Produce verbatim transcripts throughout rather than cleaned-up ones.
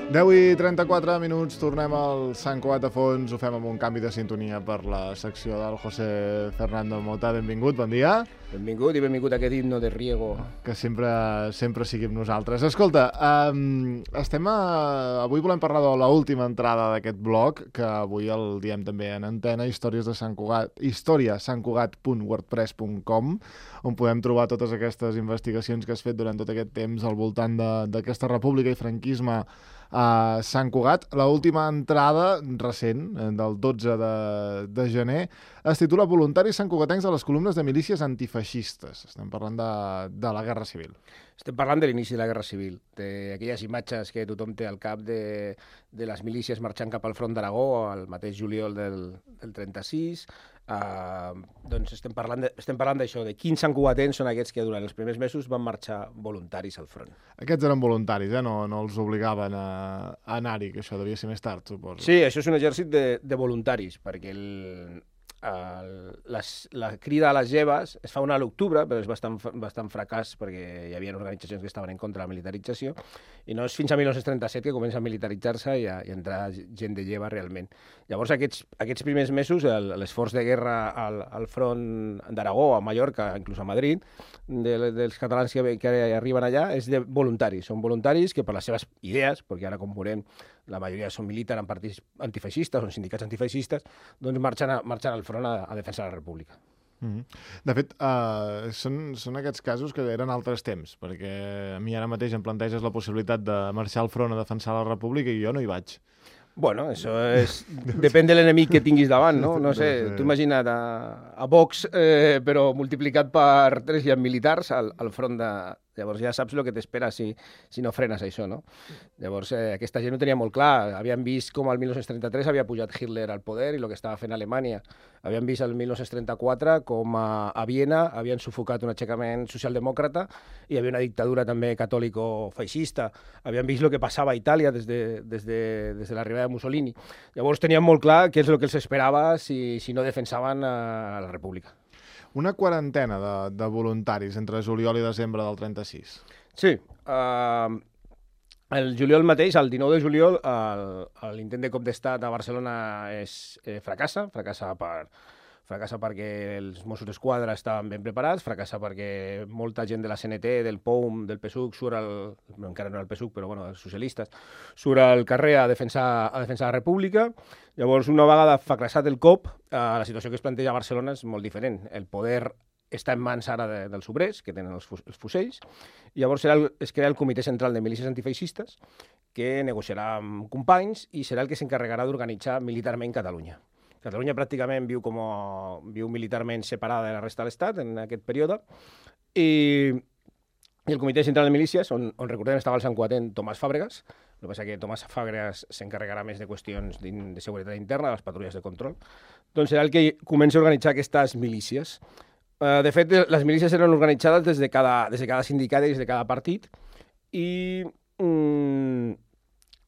deu i trenta-quatre minuts, tornem al Sant Cugat a fons, ho fem amb un canvi de sintonia per la secció del José Fernando Mota. Benvingut, bon dia. Benvingut i benvingut a aquest himno de Riego. Que sempre, sempre sigui amb nosaltres. Escolta, um, estem a... avui volem parlar de l'última entrada d'aquest blog, que avui el diem també en antena, històries de Sant Cugat, història sant cugat punt wordpress punt com, on podem trobar totes aquestes investigacions que has fet durant tot aquest temps al voltant d'aquesta república i franquisme a Sant Cugat. L'última entrada recent, del dotze de gener, es titula Voluntaris santcugatencs a les columnes de milícies antifeixistes. Estem parlant de, de la Guerra Civil. Estem parlant de l'inici de la Guerra Civil, d'aquelles imatges que tothom té al cap de, de les milícies marxant cap al front d'Aragó al mateix juliol del, del trenta-sis. Uh, doncs estem parlant de, estem parlant d'això, de quins santcugatens són aquests que durant els primers mesos van marxar voluntaris al front. Aquests eren voluntaris, eh? no, no els obligaven a, a anar-hi, que això devia ser més tard, suposo. Sí, això és un exèrcit de, de voluntaris, perquè el, el, les, la crida a les lleves es fa una a l'octubre, però és bastant, bastant fracàs perquè hi havia organitzacions que estaven en contra de la militarització, i no és fins a mil nou-cents trenta-set que comença a militaritzar-se i, a, i a entrar gent de lleva realment. Llavors, aquests, aquests primers mesos, l'esforç de guerra al, al front d'Aragó, a Mallorca, inclús a Madrid, de, dels catalans que, que arriben allà, és de voluntaris. Són voluntaris que per les seves idees, perquè ara, com veurem, la majoria són militants en partits antifeixistes, són sindicats antifeixistes, doncs marxen, a, marxen al front a, a defensar la república. Mm-hmm. De fet, uh, són, són aquests casos que eren altres temps, perquè a mi ara mateix em planteges la possibilitat de marxar al front a defensar la república i jo no hi vaig. Bueno, això és... depèn de l'enemic que tinguis davant, no? No sé, tu imagina't a, a Vox, eh, però multiplicat per tres i amb militars al, al front de... Llavors ja saps el que t'espera si, si no frenes això, no? Llavors eh, aquesta gent ho tenia molt clar. Havien vist com el mil nou-cents trenta-tres havia pujat Hitler al poder i el que estava fent Alemanya. Havien vist el mil nou-cents trenta-quatre com a, a Viena havien sufocat un aixecament socialdemòcrata i hi havia una dictadura també catòlico-feixista. Havien vist el que passava a Itàlia des de, des de, des de l'arribada de Mussolini. Llavors tenien molt clar què és el que els esperava si, si no defensaven a la república. Una quarantena de, de voluntaris entre juliol i desembre del trenta-sis. Sí. Uh, el juliol mateix, el dinou de juliol, l'intent de cop d'estat a Barcelona és, eh, fracassa. Fracassa, per, fracassa perquè els Mossos d'Esquadra estaven ben preparats, fracassa perquè molta gent de la C N T, del P O U M, del P S U C, surt al, no, encara no era el P S U C, però bueno, els socialistes, surt al carrer a defensar, a defensar la república. Llavors, una vegada fracassat el cop, eh, la situació que es planteja a Barcelona és molt diferent. El poder està en mans ara de, dels obrers, que tenen els, fus, els fusells, i llavors serà el, es crea el Comitè Central de Milícies Antifeixistes, que negociarà amb companys i serà el que s'encarregarà d'organitzar militarment Catalunya. Catalunya pràcticament viu, com a, viu militarment separada de la resta de l'Estat en aquest període, i, i el Comitè Central de Milícies, on, on recordem estava el santcugatent Tomàs Fàbregas. El que passa que Tomàs Fàbregas s'encarregarà més de qüestions de seguretat interna, de les patrulles de control. Doncs serà el que comença a organitzar aquestes milícies. Uh, de fet, les milícies eren organitzades des de cada, des de cada sindicat i des de cada partit, i mm,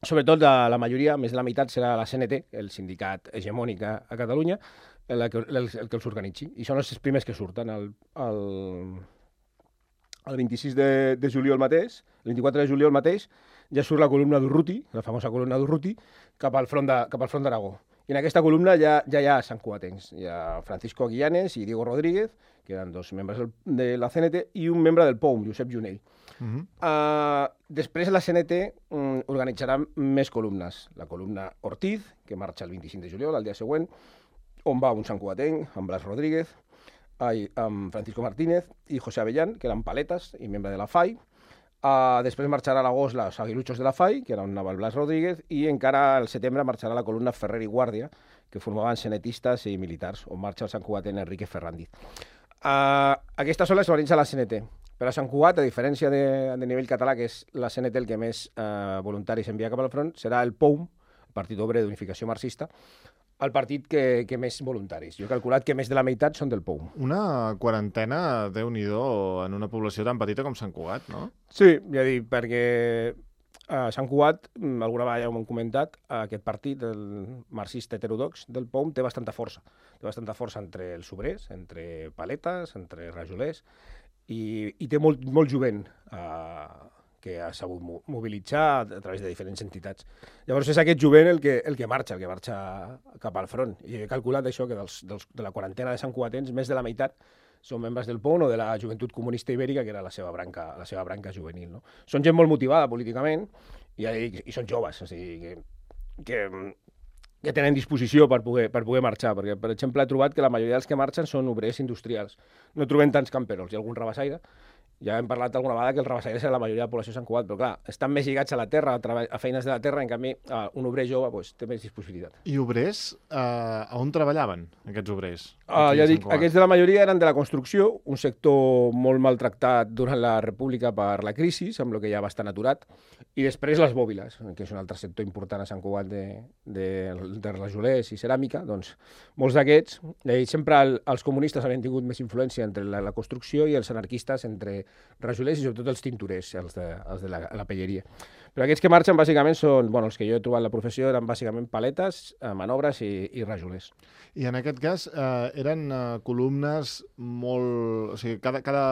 sobretot la, la majoria, més de la meitat, serà la C N T, el sindicat hegemònic a, a Catalunya, el que, el, el que els organitzi. I són els primers que surten el, el, el vint-i-sis de, de juliol mateix, el vint-i-quatre de juliol mateix, ja surt la columna d'Urruti, la famosa columna d'Urruti, cap al front de, cap al front d'Aragó. I en aquesta columna ja, ja hi ha santcugatencs. Hi ha Francisco Aguillanes i Diego Rodríguez, que eren dos membres de la C N T, i un membre del P O U M, Josep Junell. Uh-huh. uh, després la C N T um, organitzarà més columnes. La columna Ortiz, que marxa el vint-i-cinc de juliol, el dia següent, on va un santcugatenc, amb Blas Rodríguez, ai, amb Francisco Martínez i José Avellán, que eren paletes i membre de la F A I. Uh, després marxarà a l'agost els aguiluchos de la F A I, que era on anava el Blas Rodríguez, i encara al setembre marxarà la columna Ferrer i Guàrdia, que formaven cenetistes i militars, on marxa el santcugatent Enrique Ferrandiz. Uh, aquestes són les que organitza la C N T. Per a Sant Cugat, a diferència de, de nivell català, que és la C N T el que més uh, voluntaris envia cap al front, serà el P O U M, el Partit Obrer d'Unificació Marxista, el partit que, que més voluntaris. Jo he calculat que més de la meitat són del P O U M. Una quarantena, Déu-n'hi-do, en una població tan petita com Sant Cugat, no? Sí, ja dic, perquè a Sant Cugat, alguna vegada ja ho hem comentat, aquest partit, el marxista heterodox del P O U M, té bastanta força. Té bastanta força entre els obrers, entre paletes, entre rajolers, i, i té molt, molt jovent eh, que ha sabut mobilitzar a través de diferents entitats. Llavors és aquest jovent el que, el que marxa, el que marxa cap al front. I he calculat això, que dels, dels, de la quarantena de santcugatens, més de la meitat són membres del P O N o de la Joventut Comunista Ibèrica, que era la seva branca, la seva branca juvenil. No? Són gent molt motivada políticament i, i, i són joves, o sigui, que, que, que tenen disposició per poder, per poder marxar, perquè, per exemple, he trobat que la majoria dels que marxen són obrers industrials. No trobem tants camperols, hi ha algun rabassaire. Ja hem parlat alguna vegada que els rabassaires és la majoria de la població de Sant Cugat, però clar, estan més lligats a la terra, a, a feines de la terra, en canvi, un obrer jove pues, té més disponibilitat. I obrers, eh, on treballaven, aquests obrers? Uh, ja dic, aquests de la majoria eren de la construcció, un sector molt maltractat durant la República per la crisi, amb el que ja va estar aturat, i després les bòbiles, que és un altre sector important a Sant Cugat de, de, de rajolers i ceràmica, doncs molts d'aquests, sempre el, els comunistes havien tingut més influència entre la, la construcció i els anarquistes entre rajolers i sobretot els tintorers, els de, els de la, la pelleria. Però aquests que marxen bàsicament són, bueno, els que jo he trobat la professió eren bàsicament paletes, eh, manobres i, i rajolers. I en aquest cas eh, eren eh, columnes molt... O sigui, cada, cada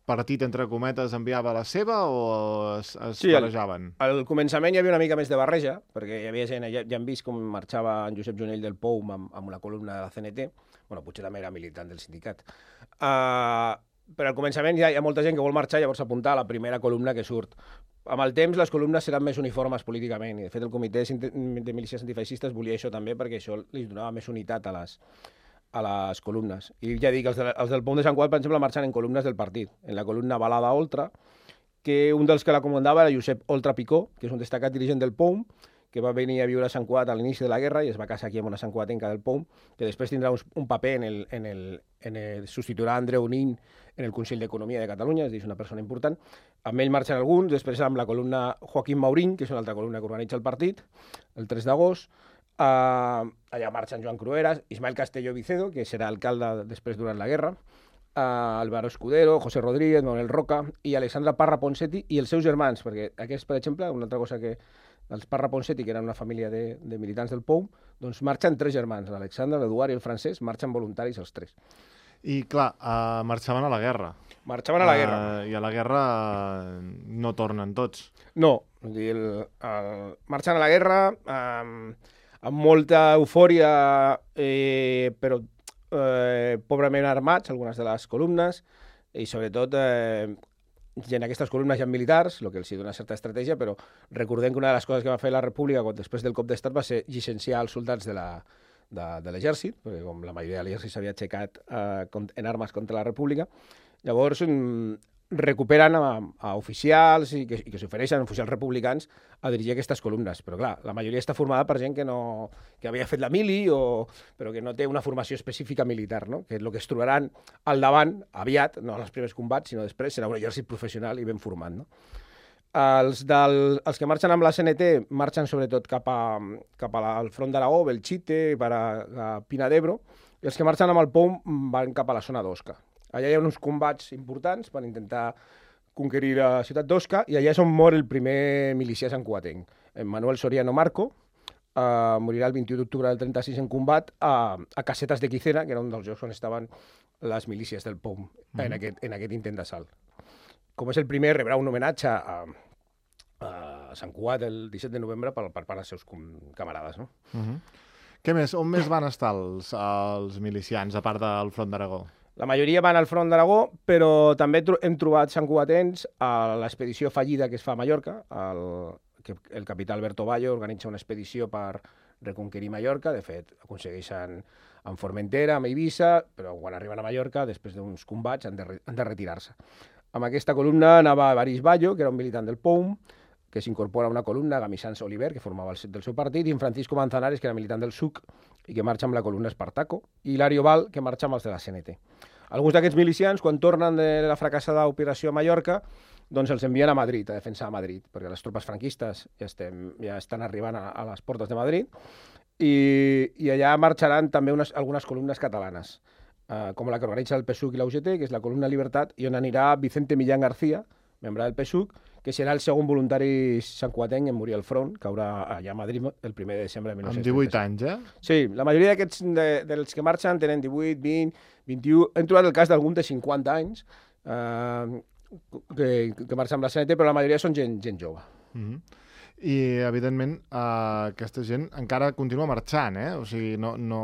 partit, entre cometes, enviava la seva o es, es sí, barrejaven? Al, al començament hi havia una mica més de barreja, perquè hi havia gent, ja, ja hem vist com marxava en Josep Jonell del Pou amb, amb una columna de la C N T, bueno, potser també era militant del sindicat. Uh, però al començament hi ha, hi ha molta gent que vol marxar i llavors apuntar a la primera columna que surt. Amb el temps les columnes seran més uniformes políticament i de fet el comitè de milícies antifeixistes volia això també perquè això li donava més unitat a les, a les columnes. I ja dic, els, de, els del P O M de Sant Cugat, per exemple, marxen en columnes del partit. En la columna Balada Oltra, que un dels que la comandava era Josep Oltra Picó, que és un destacat dirigent del P O M, que va venir a viure a Sant Cugat a l'inici de la guerra i es va casar aquí amb una santcugatenca del P O M, que després tindrà un, un paper en el, en el, en el substituirà Andreu Nin en el Consell d'Economia de Catalunya, és a dir, és una persona important. Amb ell marxen alguns, després amb la columna Joaquim Maurín, que és una altra columna que organitza el partit, el tres d'agost. Uh, allà marxen Joan Crueras, Ismael Castelló Vicedo, que serà alcalde després durant la guerra, uh, Álvaro Escudero, José Rodríguez, Manuel Roca i Alexandra Parra Ponseti i els seus germans, perquè aquests, per exemple, una altra cosa que els Parra Ponseti, que eren una família de, de militants del P O M, doncs marxen tres germans, l'Alexandre, l'Eduard i el Francesc, marxen voluntaris els tres. I, clar, uh, marxaven a la guerra. Marxaven a la guerra. Uh, I a la guerra uh, no tornen tots. No, vull dir, el, el, marxen a la guerra um, amb molta eufòria, eh, però eh, pobrament armats, algunes de les columnes, i sobretot eh, i en aquestes columnes hi ha militars, el que els dona certa estratègia, però recordem que una de les coses que va fer la República després del cop d'estat va ser llicenciar els soldats de la de, de l'exèrcit, perquè com la majoria de l'exèrcit s'havia aixecat eh, en armes contra la República, llavors mm, recuperen a, a oficials i que, i que s'ofereixen oficials republicans a dirigir aquestes columnes. Però clar, la majoria està formada per gent que, no, que havia fet la mili, o, però que no té una formació específica militar, no? Que el que es trobaran al davant, aviat, no en els primers combats, sinó després, serà un exèrcit professional i ben format, no? Els, del, els que marxen amb la C N T marxen sobretot cap, a, cap a la, al front d'Aragó, Belchite, per a, a Pina d'Ebro, i els que marxen amb el P O M van cap a la zona d'Osca. Allà hi ha uns combats importants per intentar conquerir la ciutat d'Osca, i allà és on mor el primer milicià santcugatenc. Manuel Soriano Marco uh, morirà el vint-i-u d'octubre del trenta-sis en combat a, a Casetas de Quicera, que era un dels llocs on estaven les milícies del P O M mm-hmm. en, aquest, en aquest intent d'assalt. Com és el primer, rebrà un homenatge a, a Sant Cugat el disset de novembre per, per part dels seus camarades. No? Uh-huh. Què més? On més van estar els, els milicians, a part del front d'Aragó? La majoria van al front d'Aragó, però també hem trobat santcugatens a l'expedició fallida que es fa a Mallorca. El, que el capità Alberto Bayo organitza una expedició per reconquerir Mallorca. De fet, aconsegueixen en Formentera, amb Eivissa, però quan arriben a Mallorca, després d'uns combats, han de, han de retirar-se. Amb aquesta columna anava Baris Bayo, que era un militant del P O M, que s'incorpora a una columna, Gamisans Oliver, que formava el del seu partit, i en Francisco Manzanares, que era militant del S U C, i que marxa amb la columna Espartaco, i Hilario Val, que marxa amb els de la C N T. Alguns d'aquests milicians, quan tornen de la fracassada operació a Mallorca, doncs els envien a Madrid, a defensar a Madrid, perquè les tropes franquistes ja, estem, ja estan arribant a, a les portes de Madrid, i, i allà marxaran també unes, algunes columnes catalanes, Uh, com la que organitza el P S U C i la U G T, que és la columna Libertat, i on anirà Vicente Millán García, membre del P S U C, que serà el segon voluntari santcugatenc en morir al front, que haurà allà a Madrid el primer de desembre de mil nou-cents trenta-set. Amb divuit anys, eh? Sí, la majoria d'aquests de, dels que marxen tenen divuit, vint, vint-i-u... Hem trobat el cas d'algun de cinquanta anys, uh, que, que marxa amb la C N T, però la majoria són gent, gent jove. Mm-hmm. I, evidentment, uh, aquesta gent encara continua marxant, eh? O sigui, no... no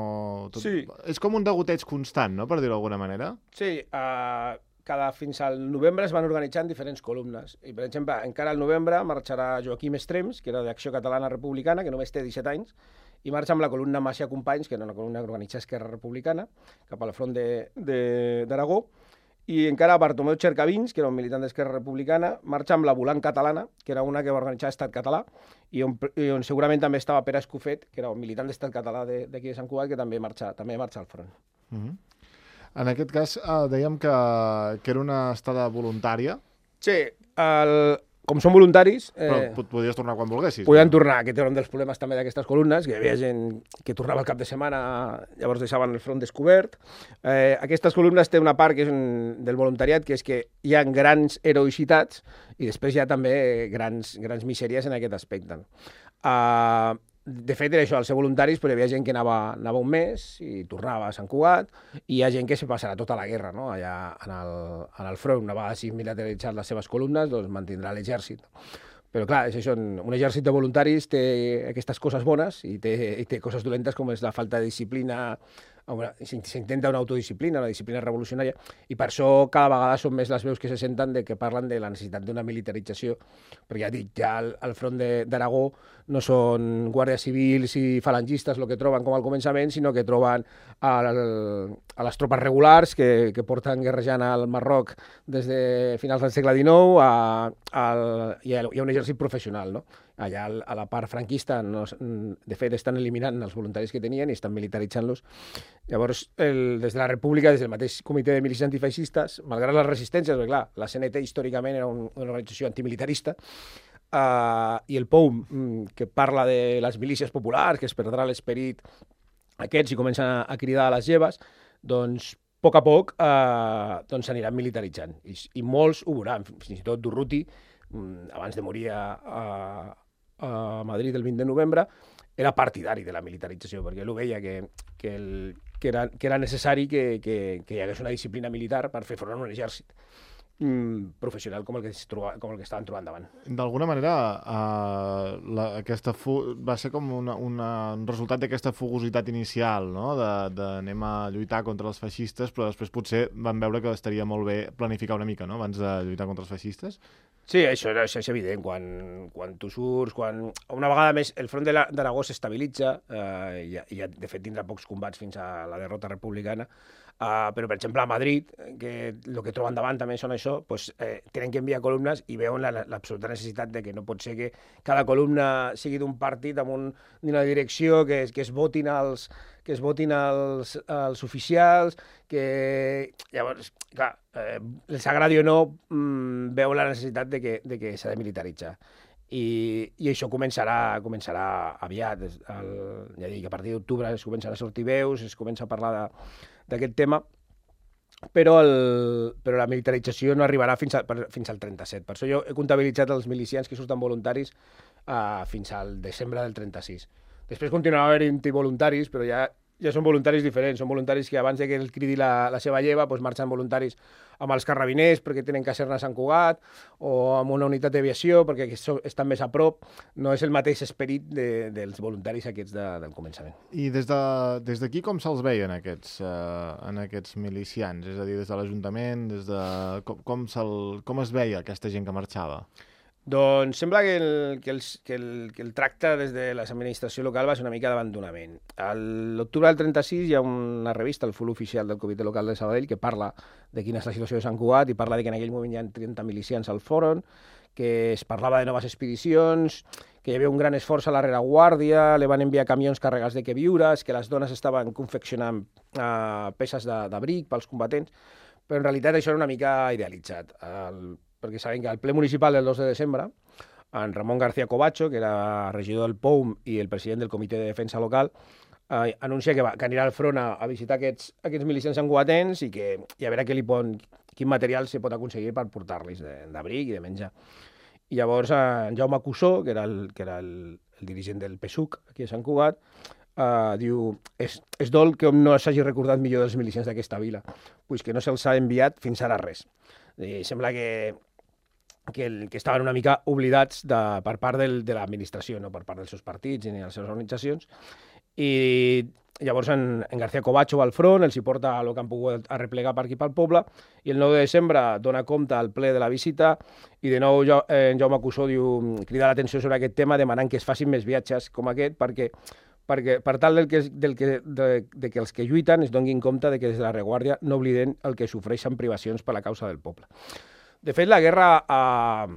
tot... Sí. És com un degoteig constant, no?, per dir-ho d'alguna manera. Sí, uh, cada, fins al novembre es van organitzant diferents columnes. I, per exemple, encara al novembre marxarà Joaquim Estrems, que era d'Acció Catalana Republicana, que només té disset anys, i marxa amb la columna Macia Companys, que era una columna que organitza Esquerra Republicana, cap al front d'Aragó. I encara Bartomeu Cercavins, que era un militant d'Esquerra Republicana, marxa amb la Volant Catalana, que era una que va organitzar Estat Català, i on, i on segurament també estava Pere Escofet, que era un militant d'Estat Català d'aquí de, de Sant Cugat, que també marxa, també marxa al front. Mm-hmm. En aquest cas, eh, dèiem que, que era una estada voluntària. Sí, el, com són voluntaris... Eh, Però podies tornar quan volguessis. Podien tornar, que era un dels problemes també d'aquestes columnes, que hi havia gent que tornava al cap de setmana, llavors deixaven el front descobert. Eh, aquestes columnes té una part que és un, del voluntariat, que és que hi ha grans heroïcitats i després hi ha també grans, grans misèries en aquest aspecte. Uh, de fet, era això, al ser voluntaris, però hi havia gent que anava, anava un mes i tornava a Sant Cugat, i hi ha gent que se passarà tota la guerra, no?, allà en el, en el front. Una vegada si militaritzat les seves columnes, doncs mantindrà l'exèrcit. Però clar, és això, un exèrcit de voluntaris té aquestes coses bones i té, i té coses dolentes com és la falta de disciplina. S'intenta una autodisciplina, una disciplina revolucionària, i per això cada vegada són més les veus que se senten de que parlen de la necessitat d'una militarització, perquè ja dic, ja al, al front d'Aragó no són guàrdies civils i falangistes el que troben com al començament, sinó que troben a, a les tropes regulars que, que porten guerrejant al Marroc des de finals del segle dinou, a, a, hi, ha, hi ha un exèrcit professional, no? Allà a la part franquista, no, de fet, estan eliminant els voluntaris que tenien i estan militaritzant-los. Llavors, el, des de la República, des del mateix comitè de milícies antifeixistes, malgrat les resistències, perquè clar, la C N T històricament era un, una organització antimilitarista, uh, i el P O U M, que parla de les milícies populars, que es perdrà l'esperit aquests i comencen a, a cridar a les lleves, doncs, a poc a poc, uh, doncs s'aniran militaritzant. I, I molts ho veuran, fins i tot Durruti, abans de morir a, a, a Madrid el vint de novembre, era partidari de la militarització, perquè ell ho veia que, que, el, que, era, que era necessari que, que, que hi hagués una disciplina militar per fer front a un exèrcit mm, professional com el, que es troba, com el que estaven trobant davant. D'alguna manera, uh, la, aquesta fu va ser com una, una, un resultat d'aquesta fugositat inicial, no? de, de anem a lluitar contra els feixistes, però després potser van veure que estaria molt bé planificar una mica, no?, abans de lluitar contra els feixistes. Sí, això, això és evident. Quan, quan tu surts, quan una vegada més el front d'Aragó s'estabilitza, eh, i, i de fet tindrà pocs combats fins a la derrota republicana, Uh, però, per exemple, a Madrid, que el que troben davant també són això, doncs, eh, tenen que enviar columnes i veuen l'absoluta necessitat de que no pot ser que cada columna sigui d'un partit amb un, una direcció, que, que es votin els que es votin els, els oficials, que llavors, clar, eh, els agradi o no, mmm, veu la necessitat de que, de que s'ha de militaritzar. I, i això començarà, començarà aviat. El, ja dic, a partir d'octubre es començarà a sortir veus, es comença a parlar de d'aquest tema, però, el, però la militarització no arribarà fins, a, per, fins al trenta-set. Per això jo he comptabilitzat els milicians que surten voluntaris uh, fins al desembre del trenta-sis. Després continuarà havent-hi voluntaris, però ja, ja són voluntaris diferents. Són voluntaris que abans de que el cridi la, la seva lleva doncs marxen voluntaris amb els carrabiners perquè tenen caserna a Sant Cugat o amb una unitat d'aviació perquè estan més a prop. No és el mateix esperit de, dels voluntaris aquests de, del començament. I des de, des d'aquí com se'ls veien aquests, uh, en aquests milicians? És a dir, des de l'Ajuntament, des de... com, com, com es veia aquesta gent que marxava? Doncs sembla que el, que, els, que, el, que el tracte des de l'administració local va ser una mica d'abandonament. A l'octubre del trenta-sis hi ha una revista, el Full Oficial del Comitè Local de Sabadell, que parla de quina és la situació de Sant Cugat i parla de que en aquell moment hi ha trenta milicians al front, que es parlava de noves expedicions, que hi havia un gran esforç a la rereguàrdia, li van enviar camions carregats de queviures, que les dones estaven confeccionant uh, peces d'abric pels combatents, però en realitat això era una mica idealitzat. El, perquè saben que al ple municipal del dos de desembre, en Ramon García Covacho, que era regidor del P O U M i el president del Comitè de Defensa Local, eh, anuncia que, va, que anirà al front a, a visitar aquests, aquests milicians sanguatens i, que, i a veure què li pon, quin material se pot aconseguir per portar-los d'abric i de menjar. I llavors en Jaume Cussó, que era el, que era el, el dirigent del P S U C aquí a Sant Cugat, Uh, diu, és, és dol que no s'hagi recordat millor dels milicians d'aquesta vila, pues que no se'ls ha enviat fins ara res. I sembla que, que, el, que estaven una mica oblidats de, per part del, de l'administració, no per part dels seus partits ni de les seves organitzacions. I llavors en, en García Covacho va al front, els hi porta el que han pogut arreplegar per aquí pel poble, i el nou de desembre dona compte al ple de la visita, i de nou eh, en Jaume Cussó diu, crida l'atenció sobre aquest tema demanant que es facin més viatges com aquest, perquè perquè per tal del que, del que, de, de que els que lluiten es donguin compte de que des de la reguàrdia no obliden el que sofreixen privacions per la causa del poble. De fet, la guerra a,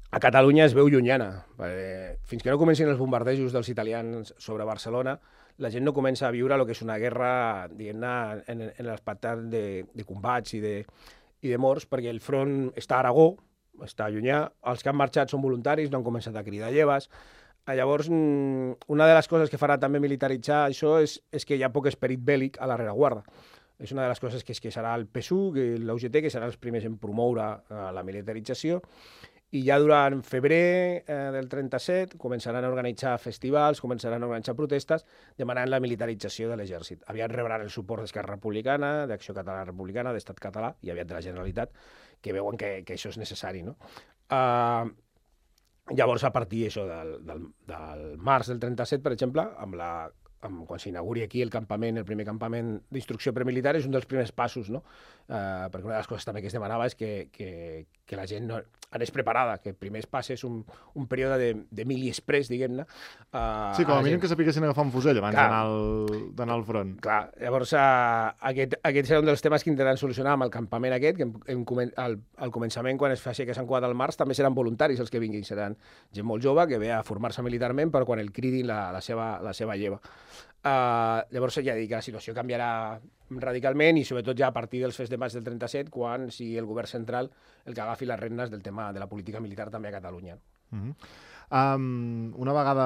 a Catalunya es veu llunyana. Perquè fins que no comencin els bombardejos dels italians sobre Barcelona, la gent no comença a viure el que és una guerra, diguem-ne, en, en l'aspecte de, de combats i de, i de morts, perquè el front està a Aragó, està llunyà, els que han marxat són voluntaris, no han començat a cridar lleves. Llavors, una de les coses que farà també militaritzar això és, és que hi ha poc esperit bèl·lic a la rereguarda. És una de les coses que, és que serà el P S U, l'U G T, que seran els primers en promoure eh, la militarització, i ja durant febrer eh, del trenta-set començaran a organitzar festivals, començaran a organitzar protestes, demanant la militarització de l'exèrcit. Aviat rebran el suport d'Esquerra Republicana, d'Acció Catalana Republicana, d'Estat Català, i aviat de la Generalitat, que veuen que, que això és necessari, no? Uh, Llavors, a partir això, del, del, del març del trenta-set, per exemple, amb la, amb, quan s'inauguri aquí el campament, el primer campament d'instrucció premilitar, és un dels primers passos, no? Uh, perquè una de les coses també que es demanava és que, que, que la gent no, anés preparada, que primer es passés un, un període de, de mili express, diguem-ne. Uh, sí, com a, a mínim gent... que sapiguessin agafar un fusell abans d'anar al front. Clar, llavors uh, aquest, aquest serà un dels temes que intentaran solucionar amb el campament aquest, que en, en, al, al començament, quan es faci aquest Sant Cugat al març, també seran voluntaris els que vinguin, seran gent molt jove que ve a formar-se militarment per quan el cridin la, la, seva, la seva lleva. Uh, llavors ja dic que la situació canviarà radicalment i sobretot ja a partir dels fets de maig del trenta-set, quan sigui el govern central el que agafi les regnes del tema de la política militar també a Catalunya. Mm-hmm. Um, una vegada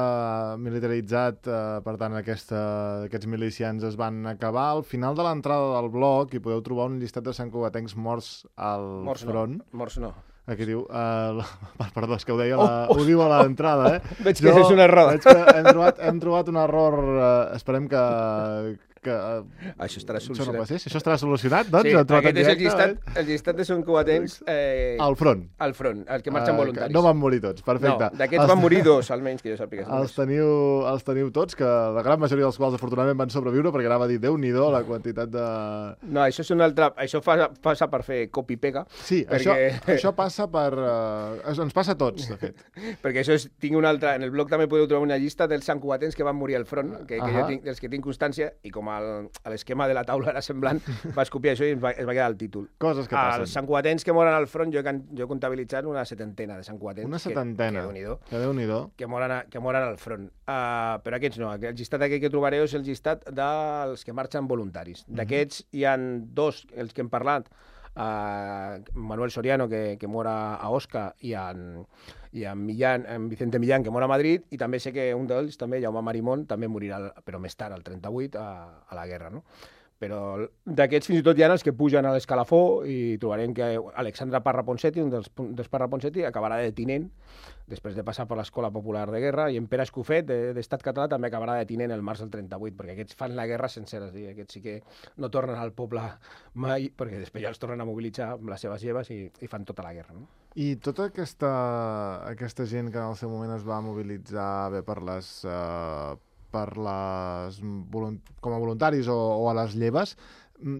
militaritzat, uh, per tant, aquesta, aquests milicians es van acabar, al final de l'entrada del bloc hi podeu trobar un llistat de santcugatencs morts al morts front. No, morts no. Aquí diu... Uh, la, perdó, és que ho deia, la, oh, oh. ho diu a l'entrada, eh? Veig que jo, és un error. Veig que hem trobat, hem trobat un error, uh, esperem que... que uh, això estarà solucionat. Això, no passés. Això estarà solucionat, doncs? Sí, aquest és el llistat, el llistat de santcugatencs... Eh, al front. Al front, el que marxen uh, voluntaris. No van morir tots, perfecte. No, d'aquests van morir dos, almenys, que jo sàpiga. Els teniu, els teniu tots, que la gran majoria dels quals afortunadament van sobreviure, perquè anava a dir, Déu-n'hi-do, la quantitat de... No, això és un altre... Això fa, passa per fer copy-pega. Sí, perquè... això, això passa per... Uh, ens passa a tots, de fet. Perquè això és... Tinc una altra... En el blog també podeu trobar una llista dels santcugatencs que van morir al front, que, que uh -huh. jo tinc, dels que tinc constància, i com el, l'esquema de la taula era semblant, vaig copiar això i es va, es va quedar el títol. Coses que passen. Els santcugatencs que moren al front, jo, jo he comptabilitzat una setantena de santcugatencs. Una setantena? Que, que Déu-n'hi-do. Que Déu-n'hi-do. Que moren, a, que moren al front. Uh, però aquests no. El llistat aquest que trobareu és el llistat dels que marxen voluntaris. D'aquests uh -huh. hi han dos, els que hem parlat, Uh, Manuel Soriano, que, que mora a Osca, i en, i en, Millán, en Vicente Millán, que mora a Madrid, i també sé que un d'ells, també, Jaume Marimón, també morirà, però més tard, al trenta-vuit, a, a la guerra, no? Però d'aquests fins i tot hi ha els que pugen a l'escalafó i trobarem que Alexandre Parra Ponseti, un dels, dels Parra Ponseti, acabarà de tinent després de passar per l'Escola Popular de Guerra, i en Pere Escofet, d'Estat Català, també acabarà de tinent el març del trenta-vuit, perquè aquests fan la guerra sencera, sí, aquests sí que no tornen al poble mai, perquè després ja els tornen a mobilitzar amb les seves lleves i, i fan tota la guerra, no? I tota aquesta, aquesta gent que en el seu moment es va mobilitzar bé per les... Uh... per les com a voluntaris o, o a les lleves,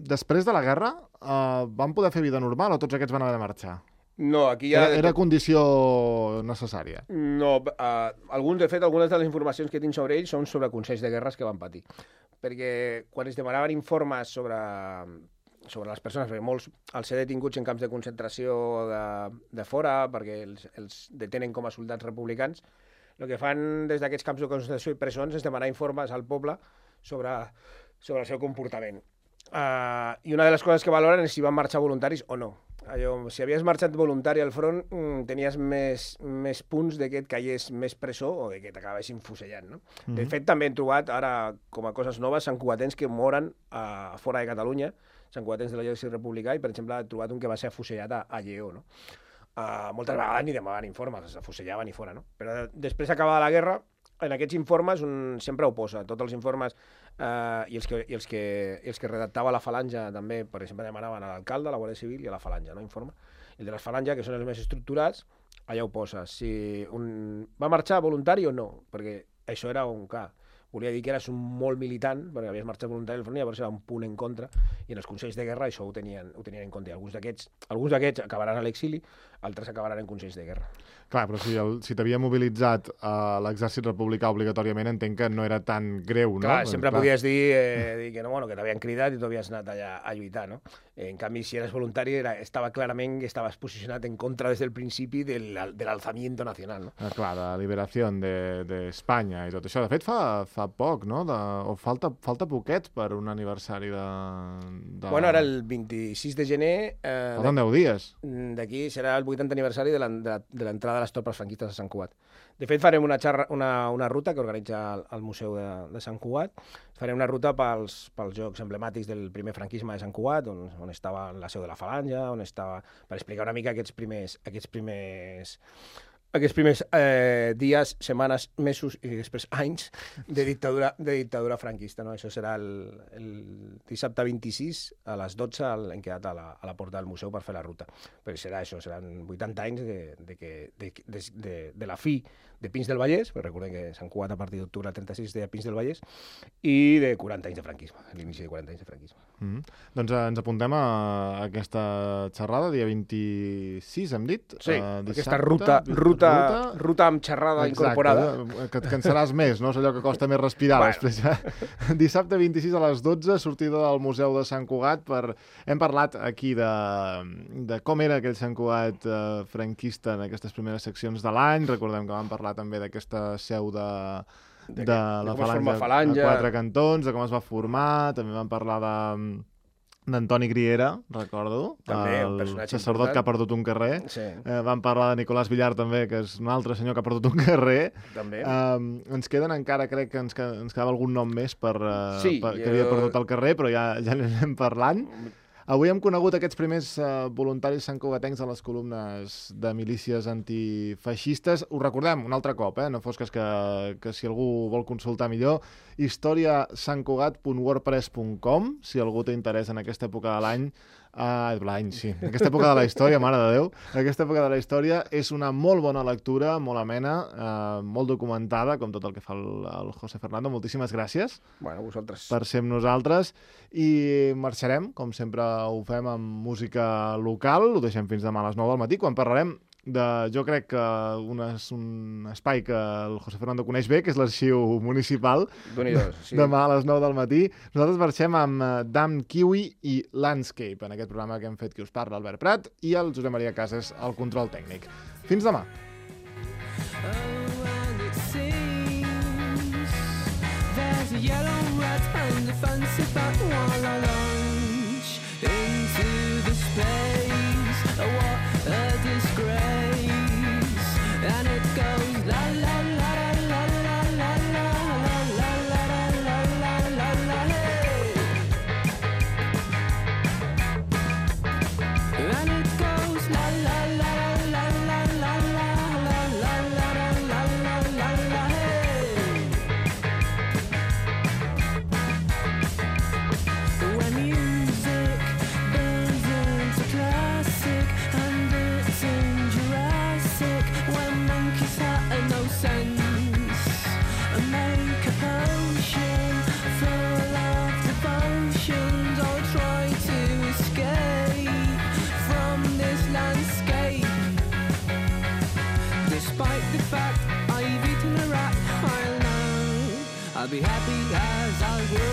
després de la guerra eh, van poder fer vida normal o tots aquests van haver de marxar? No, aquí ja... Era, era condició necessària? No, uh, alguns, de fet, algunes de les informacions que tinc sobre ells són sobre consells de guerres que van patir. Perquè quan es demanaven informes sobre, sobre les persones, perquè molts els ser detinguts en camps de concentració de, de fora, perquè els, els detenen com a soldats republicans, el que fan des d'aquests camps de concentració i presons és demanar informes al poble sobre, sobre el seu comportament. Uh, I una de les coses que valoren és si van marxar voluntaris o no. Allò, si havies marxat voluntari al front, mm, tenies més, més punts de que et caigués més presó o de que t'acabessin fusellant, no? Mm-hmm. De fet, també hem trobat, ara, com a coses noves, santcugatencs que moren uh, fora de Catalunya, santcugatencs de l'exèrcit republicà, i, per exemple, he trobat un que va ser afusellat a, a Lleó, no? Uh, moltes vegades ni demanaven informes, s'afusellaven i fora, no? Però després acabada la guerra, en aquests informes un sempre ho posa, tots els informes Uh, i, els que, i, els que, i els que redactava la falange també, per exemple, demanaven a l'alcalde, a la Guàrdia Civil i a la falange, no? Informe. I el de la falange, que són els més estructurats, allà ho posa. Si un... va marxar voluntari o no, perquè això era un cas. Volia dir que eres un molt militant, perquè havies marxat voluntari al front, llavors era un punt en contra, i en els consells de guerra això ho tenien, ho tenien en compte. I alguns d'aquests alguns d'aquests acabaran a l'exili, altres acabaran en consells de guerra. Clar, però si, el, si t'havia mobilitzat a uh, l'exèrcit republicà obligatoriament, entenc que no era tan greu, no? Clar, sempre Clar. podies dir, eh, dir que, no, bueno, que t'havien cridat i tu havies anat allà a lluitar, no? En canvi, si eres voluntari, era, estava clarament que estaves posicionat en contra des del principi del, de l'alzamiento nacional, no? Ah, clar, de liberació d'Espanya de, de i tot això. De fet, fa, fa poc, no? De, o falta, falta poquet per un aniversari de... de... Bueno, ara el vint-i-sis de gener... Eh, Falten deu dies. D'aquí serà el vuitantè aniversari de l'entrada de les tropes franquistes a Sant Cugat. De fet, farem una, xarra, una, una ruta que organitza el, el Museu de, de Sant Cugat. Farem una ruta pels, pels jocs emblemàtics del primer franquisme de Sant Cugat, on, on estava la seu de la Falange, on estava... per explicar una mica aquests primers... Aquests primers aquests primers eh, dies, setmanes, mesos i després anys de dictadura, de dictadura franquista. No? Això serà el, el dissabte vint-i-sis a les dotze, hem quedat a la, a la porta del museu per fer la ruta. Però serà això, seran vuitanta anys de, de, que, de, de, de, de la fi de Pins del Vallès, perquè recordem que Sant Cugat a partir d'octubre del trenta-sis de Pins del Vallès, i de quaranta anys de franquisme, l'inici de quaranta anys de franquisme. Mm -hmm. Doncs eh, ens apuntem a aquesta xerrada, dia vint-i-sis, hem dit? Sí, uh, dissabte, aquesta ruta, ruta, ruta, ruta amb xerrada Exacte, incorporada. Que et cansaràs més, no? És allò que costa més respirar bueno. després. Eh? Dissabte vint-i-sis a les dotze, sortida del Museu de Sant Cugat. Per... Hem parlat aquí de, de com era aquell Sant Cugat eh, franquista en aquestes primeres seccions de l'any. Recordem que vam parlar també d'aquesta seu de, de, de la de falange, falange a quatre cantons, de com es va formar. També vam parlar de d'Antoni Griera, recordo, també, el sacerdot important. Que ha perdut un carrer. Sí. Eh, vam parlar de Nicolás Villar també, que és un altre senyor que ha perdut un carrer. També. Eh, ens queden encara, crec que ens, qued ens quedava algun nom més per, uh, sí, per, que jo... havia perdut el carrer, però ja, ja n'anem parlant. Avui hem conegut aquests primers uh, voluntaris santcugatencs a les columnes de milícies antifeixistes. Ho recordem un altre cop, eh? No fos que, que, que si algú vol consultar millor, historia sant cugat punt wordpress punt com, si algú té interès en aquesta època de l'any. Uh, l'any, sí. Aquesta època de la història, mare de Déu. Aquesta època de la història és una molt bona lectura, molt amena, uh, molt documentada, com tot el que fa el, el José Fernando. Moltíssimes gràcies bueno, vosaltres. per ser amb nosaltres. I marxarem, com sempre ho fem, amb música local. Ho deixem fins demà a les nou del matí, quan parlarem de, jo crec que un, un espai que el José Fernando coneix bé, que és l'Arxiu Municipal. Sí. Demà a les nou del matí. Nosaltres marxem amb Damn Kiwi i Landscape, en aquest programa que hem fet qui us parla, Albert Prat, i el Josep Maria Casas, al control tècnic. Fins demà. I'll be happy as I'll grow.